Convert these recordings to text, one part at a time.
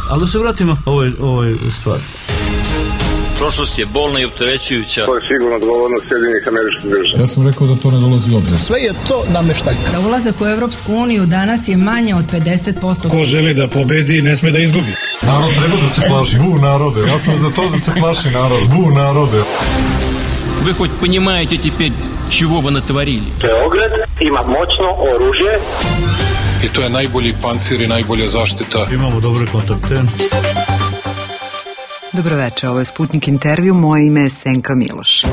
Ali da se vratimo ovoj stvari. Prošlost je bolna i opterećujuća. To je sigurno odgovornost Sjedinjenih Američkih Država. Ja sam rekao da to ne dolazi u obzir. Sve je to nameštaljka. Za ulazak u Evropsku uniju danas je manje od 50%. Ko želi da pobedi, ne sme da izgubi. Narod treba da se plaši. Bu narode. Ja sam za to da se plaši narod. Bu narode. Вы хоть понимаете теперь, чего вы натворили? Beograd ima moćno oružje. I to je najbolji pancir i najbolja zaštita. Imamo dobre kontakte. Dobroveče, ovo je Sputnik intervju, moje ime je Senka Miloš.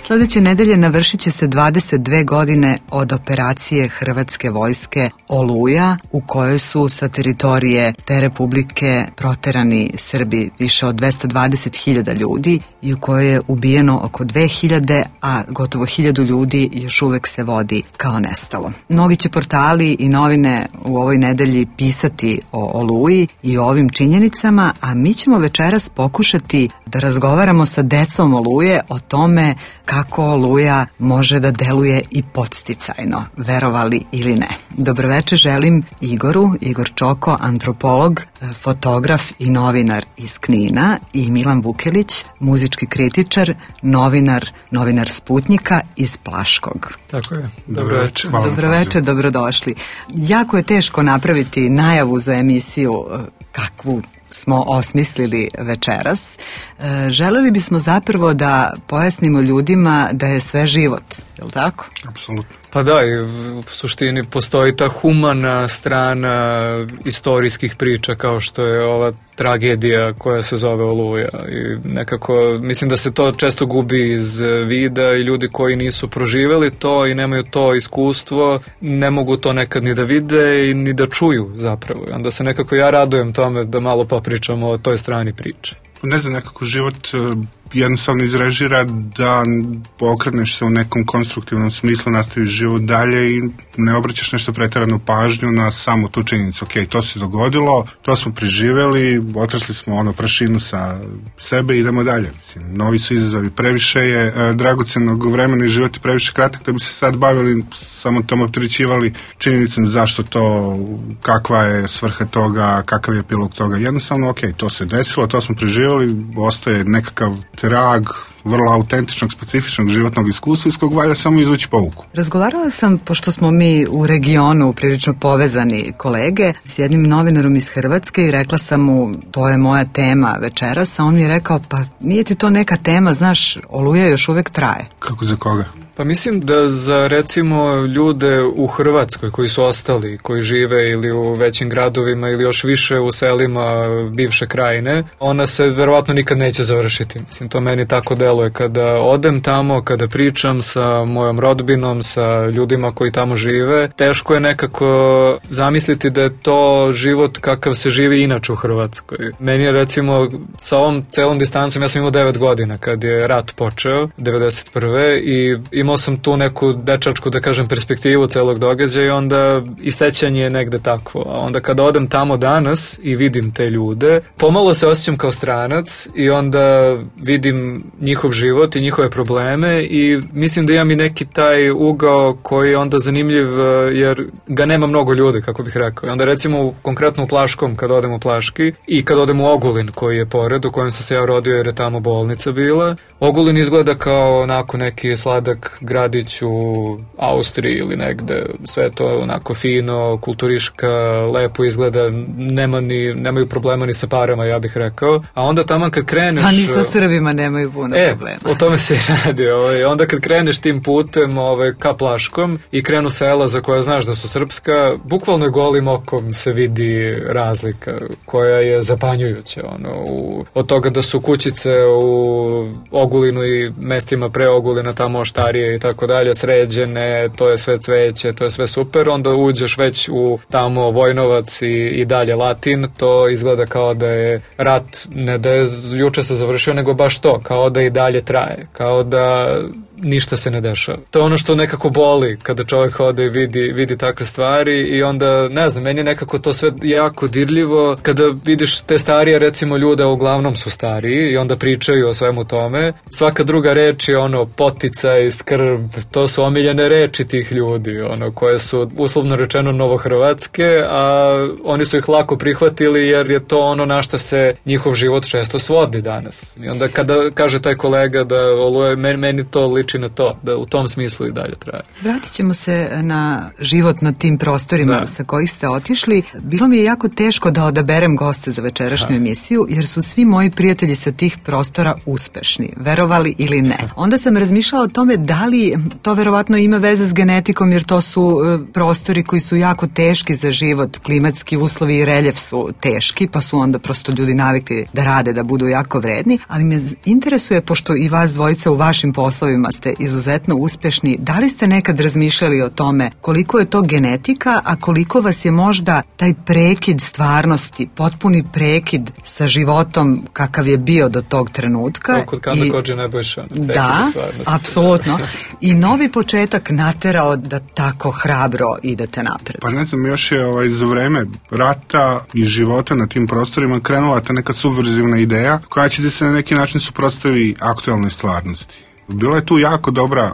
Sledeće nedelje navršit će se 22 godine od operacije Hrvatske vojske Oluja, u kojoj su sa teritorije te republike proterani Srbi više od 220.000 ljudi i u kojoj je ubijeno oko 2.000, a gotovo 1.000 ljudi još uvek se vodi kao nestalo. Mnogi će portali i novine u ovoj nedelji pisati o Oluji i o ovim činjenicama, a mi ćemo večeras pokušati da razgovaramo sa decom Oluje o tome kako Oluja može da deluje i podsticajno, verovali ili ne. Dobroveče želim Igor Čoko, antropolog, fotograf i novinar iz Knina, i Milan Vukelić, muzički kritičar, novinar Sputnika iz Plaškog. Tako je. Dobroveče. Dobroveče, dobrodošli. Jako je teško napraviti najavu za emisiju kakvu smo osmislili večeras. Želeli bismo zapravo da pojasnimo ljudima da je sve život, je li tako? Apsolutno. Pa da, i u suštini postoji ta humana strana istorijskih priča kao što je ova tragedija koja se zove Oluja, i nekako mislim da se to često gubi iz vida i ljudi koji nisu proživeli to i nemaju to iskustvo ne mogu to nekad ni da vide i ni da čuju zapravo. Onda se nekako ja radujem tome da malo popričamo o toj strani priče. Ne znam, nekako život jednostavno izrežira da okreneš se u nekom konstruktivnom smislu, nastaviš život dalje i ne obraćaš nešto preteranu pažnju na samu tu činjenicu. Ok, to se dogodilo, to smo preživeli, otrasli smo prašinu sa sebe i idemo dalje. Mislim, novi su izazovi, previše je dragocenog vremena i život je previše kratak da bi se sad bavili, samo tom opterećivali činjenicom zašto to, kakva je svrha toga, kakav je epilog toga. Jednostavno, ok, to se desilo, to smo preživeli, ostaje nekakav trag vrlo autentičnog, specifičnog životnog iskustva iz kog valja samo izvući pouku. Razgovarala sam, pošto smo mi u regionu prilično povezani kolege, s jednim novinarom iz Hrvatske i rekla sam mu, to je moja tema večeras, a on mi je rekao, pa nije ti to neka tema, znaš, Oluja još uvek traje. Kako za koga? Pa mislim da za recimo ljude u Hrvatskoj koji su ostali, koji žive ili u većim gradovima ili još više u selima bivše krajine, ona se verovatno nikad neće završiti. Mislim, to meni tako deluje. Kada odem tamo, kada pričam sa mojom rodbinom, sa ljudima koji tamo žive, teško je nekako zamisliti da je to život kakav se živi inače u Hrvatskoj. Meni je recimo sa ovom celom distancom, ja sam imao 9 godina kad je rat počeo, 91. i imao sam tu neku dečačku, da kažem, perspektivu celog događaja i onda i sećanje je negde takvo. A onda kada odem tamo danas i vidim te ljude, pomalo se osjećam kao stranac i onda vidim njihov život i njihove probleme i mislim da imam i neki taj ugao koji je onda zanimljiv jer ga nema mnogo ljudi, kako bih rekao. I onda recimo konkretno u Plaškom, kad odem u Plaški i kad odem u Ogulin koji je pored, u kojem sam se ja rodio jer je tamo bolnica bila. Ogulin izgleda kao onako neki sladak gradić u Austriji ili negde, sve to onako fino, kulturiška, lepo izgleda, nemaju problema ni sa parama, ja bih rekao. A onda tamo kad kreneš... A ni sa Srbima nemaju puno problema. O tome se radi. Onda kad kreneš tim putem ka Plaškom i krenu sela za koja znaš da su srpska, bukvalno golim okom se vidi razlika koja je zapanjujuća. Od toga da su kućice u Ogulinu i mestima pre Ogulina, tamo Oštarije i tako dalje, sređene, to je sve cveće, to je sve super, onda uđeš već u tamo Vojnovac i dalje Latin, to izgleda kao da je rat, ne da je juče se završio, nego baš to, kao da i dalje traje, kao da ništa se ne dešava. To je ono što nekako boli kada čovjek ode i vidi takve stvari i onda, ne znam, meni je nekako to sve jako dirljivo kada vidiš te starije, recimo, ljude, uglavnom su stariji i onda pričaju o svemu tome. Svaka druga reč je ono poticaj, skrb, to su omiljene reči tih ljudi, ono, koje su uslovno rečeno novohrvatske, a oni su ih lako prihvatili jer je to ono na šta se njihov život često svodi danas. I onda kada kaže taj kolega da Oluja, meni to liči na to, da u tom smislu i dalje traje. Vratit ćemo se na život na tim prostorima sa kojih ste otišli. Bilo mi je jako teško da odaberem goste za večerašnju emisiju, jer su svi moji prijatelji sa tih prostora uspešni, verovali ili ne. Onda sam razmišljala o tome da li to verovatno ima veze s genetikom, jer to su prostori koji su jako teški za život, klimatski uslovi i reljef su teški, pa su onda prosto ljudi navikli da rade, da budu jako vredni, ali me interesuje, pošto i vas dvojica u vašim poslovima ste izuzetno uspešni, da li ste nekad razmišljali o tome koliko je to genetika, a koliko vas je možda taj prekid stvarnosti, potpuni prekid sa životom kakav je bio do tog trenutka. Kod Kame Kodže Nebojša. Da, apsolutno. I novi početak naterao da tako hrabro idete napred. Pa ne znam, još je za vreme rata i života na tim prostorima krenula ta neka subverzivna ideja koja će da se na neki način suprotstavi aktualnoj stvarnosti. Bila je tu jako dobra